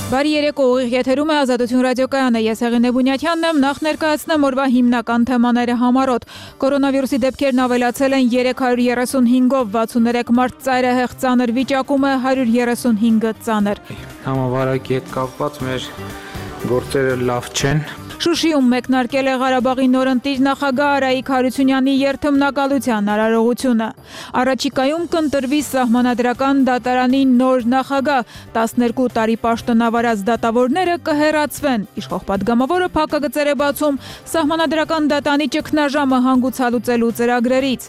Բարի երեկո, ուղիղ եթերում է Ազատություն ռադիոկայանը, ես Հեղինե Բունյաթյանն եմ, նախ ներկայացնեմ օրվա հիմնական թեմաները համառոտ։ Կորոնավիրուսի դեպքերն ավելացել են 335-ով, 63 մարդ ծայրահեղ ծանր վիճակում է, 135-ը ծանր։ Համավարակի հետ կապված մեր գործերը լավ չեն։ Շուշիում մեկնարկել է Ղարաբաղի նորընտիր նախագահ Արայիկ Հարությունյանի երթմնակալության արարողությունը։ Առաջիկայում կընտրվի սահմանադրական դատարանի նոր նախագահ, 12 տարի պաշտոնավարած դատավորները կհեռացվեն։ Իշխող պատգամավորը փակագծեր է բացում սահմանադրական դատանի ճգնաժամը հանգուցալուծելու ծրագրերից։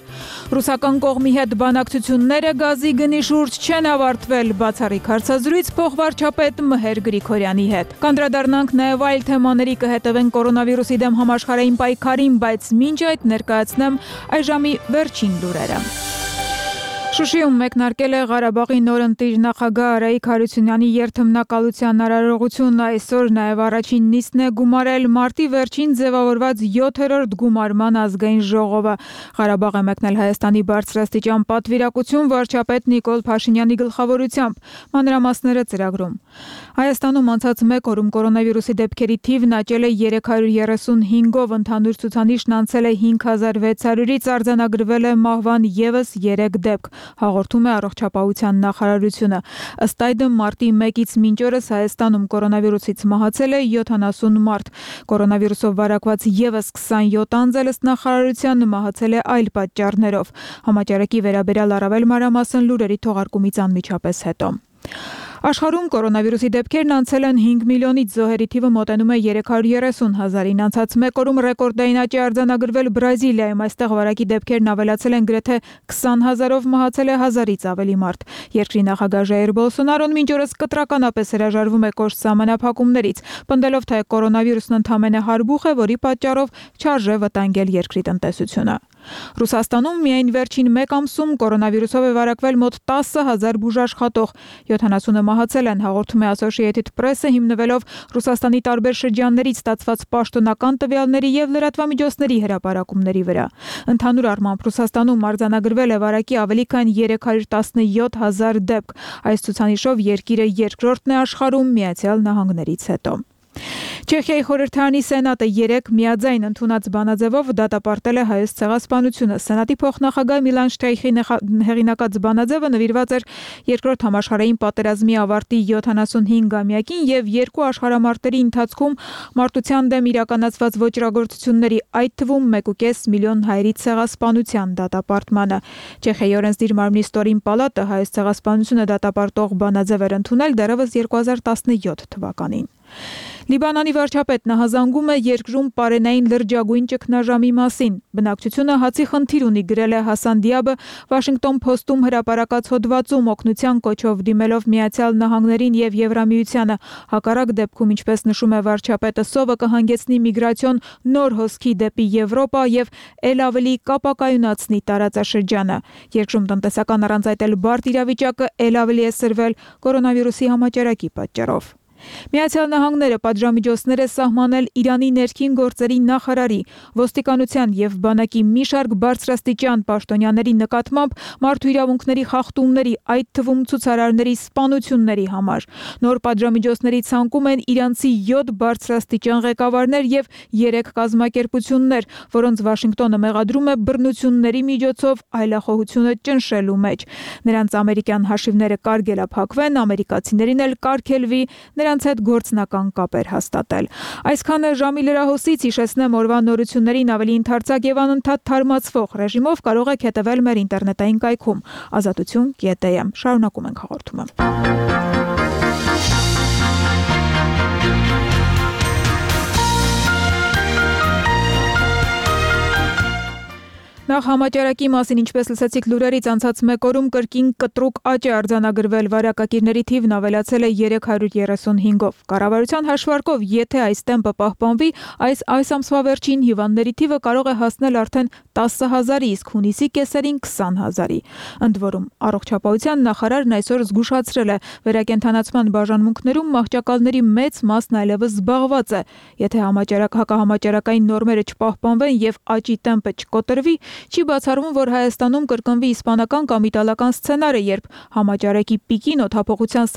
Ռուսական կողմի հետ բանակցությունները գազի գնի շուրջ չեն ավարտվել, բացառիկ հարցազրույց փոխվարչապետ Մհեր Գրիգորյանի հետ։ Կանդրադառնանք նաև այլ թեմաների, կհետևենք կորոնավիրուսի դեմ համաշխարհային պայքարին, բայց մինչ այդ ներկայացնեմ այժմի վերջին լուրերը։ Շուշիում մեկնարկել է Ղարաբաղի նորընտիր նախագահ Արայիկ Հարությունյանի երթմնակալության արարողությունը, այսօր նաև առաջին նիստն է գումարել մարտի վերջին ձևավորված 7-րդ գումարման ազգային ժողովը։ Ղարաբաղ է մեկնել Հայաստանի բարձրաստիճան պատվիրակություն վարչապետ Նիկոլ Փաշինյանի գլխավորությամբ։ Մանրամասները ծրագրում։ Հայաստանում անցած մեկ օրում կորոնավիրուսի դեպքերի թիվն աճել է 335-ով, ընդհանուր ցուցանիշն անցել է 5600-ից, արձանագրվել է մահվան ևս 3 դեպք, հաղորդում է Առողջապահության նախարարությունը։ Ըստ այդմ մարտի 1-ից մինչ օրս Հայաստանում կորոնավիրուսից մահացել է 70 մարդ։ Կորոնավիրուսով վարակված ևս 27 անձ ըստ նախարարության մահացել է այլ պատճառներով։ Համաճարակի վերաբերյալ առավել մանրամասն լուրերի թողարկումից անմիջապես հետո։ Աշխարհում կորոնավիրուսի դեպքերն անցել են 5 միլիոնից, զոհերի թիվը մոտենում է 330,000-ին։ Անցած մեկ օրում ռեկորդային աճ է արձանագրվել Բրազիլիայում, այստեղ վարակի դեպքերն ավելացել են գրեթե 20,000-ով, մահացել է 1000-ից ավելի մարդ։ Երկրի նախագահ Ժայր Բոլսոնարոն մինչ օրս կտրականապես հրաժարվում է կոշտ սահմանափակումներից, պնդելով, թե կորոնավիրուսն ընդամենը հարբուխ է, որի պատճառով չարժե վտանգել երկրի տնտեսությունը։ Ռուսաստանում միայն վերջին մեկ ամսում կորոնավիրուսով է վարակվել մոտ 10,000 բուժաշխատող, 70-ը մահացել են, հաղորդում է Associated Press-ը, հիմնվելով Ռուսաստանի տարբեր շրջաններից ստացված պաշտոնական տվյալների եւ լրատվամիջոցների հրապարակումների վրա։ Ընդհանուր առմամբ Ռուսաստանում արձանագրվել է վարակի ավելի քան 317,000 դեպք։ Այս ցուցանիշով երկիրը երկրորդն է աշխարհում Միացյալ Նահանգներից հետո։ Չեխիայի խորհրդարանի սենատը 3 միաձայն ընդունած բանաձևով դատապարտել է հայոց ցեղասպանությունը։ Սենատի փոխնախագահ Միլան Շտրայխի հեղինակած բանաձևը նվիրված էր երկրորդ համաշխարհային պատերազմի ավարտի 75-ամյակին եւ երկու աշխարհամարտերի ընթացքում մարտության դեմ իրականացված ոճրագործությունների, այդ թվում 1.5 միլիոն հայերի ցեղասպանության դատապարտմանը։ Չեխիայի օրենսդիր մարմնի ստորին պալատը հայոց ցեղասպանությունը դատապարտող բանաձև էր ընդունել դեռևս 2017 թվականին։ Լիբանանի վարչապետն նահանձում է երկրում պարենային լրջագույն ճգնաժամի մասին։ Բնակչությունը հացի խնդիր ունի, գրել է Հասան Դիաբը Washington Post-ում հրապարակած հոդվածում, օգնության կոչով դիմելով Միացյալ Նահանգներին եւ Եվրամիությանը։ Հակառակ դեպքում, ինչպես նշում է վարչապետը, սովը կհանգեցնի միգրացիոն նոր հոսքի դեպի Եվրոպա եւ ել ավելի կապակայունացնի տարածաշրջանը։ Երկրում տնտեսական առանց այդ էլ բարդ իրավիճակը ել ավելի է սրվել կորոնավիրուսի համաճարակի պատճառով։ Միացյալ Նահանգները պատժամիջոցներ է սահմանել Իրանի ներքին գործերի նախարարի, ոստիկանության եւ բանակի մի շարք բարձրաստիճան պաշտոնյաների նկատմամբ մարդու իրավունքների խախտումների, այդ թվում ցուցարարների սպանությունների համար։ Նոր պատժամիջոցների ցանկում են իրանցի 7 բարձրաստիճան ղեկավարներ եւ 3 կազմակերպություններ, որոնց Վաշինգտոնը մեղադրում է բռնությունների միջոցով այլախոհությունը ճնշելու մեջ։ Նրանց ամերիկյան հաշիվները կարգելափակվեն, ամերիկացիներին էլ կարգելվի նրանց հետ գործնական կապեր հաստատել։ Այսքանը ժամի լրահոսից, հիշեցնեմ օրվա նորություններին ավելի ընդարձակ եւ անընդհատ թարմացվող ռեժիմով կարող եք հետևել մեր ինտերնետային կայքում azatutun.am։ Շարունակում ենք հաղորդումը։ Նախ համաճարակի մասին, ինչպես լսեցիք լուրերից, անցած մեկ օրում կրկին կտրուկ աճ է արձանագրվել, վարակակիրների թիվն ավելացել է 335-ով։ Կառավարության հաշվարկով, եթե այս տեմպը պահպանվի, այս ամսվա վերջին հիվանդների թիվը կարող է հասնել արդեն 10,000-ի, իսկ հունիսի կեսերին 20,000-ի։ Ընդ որում, առողջապահության նախարարն այսօր զգուշացրել է, վերակենդանացման բաժանմունքներում մահճակալների մեծ մասն այլևս զբաղված է։ Եթե հակահամաճարակային նորմերը չպահպանվեն եւ աճի տեմպը չկոտրվի, չի բացառվում, որ Հայաստանում կրկնվի իսպանական կամ իտալական սցենարը, երբ համաճարակի պիկին օդափոխության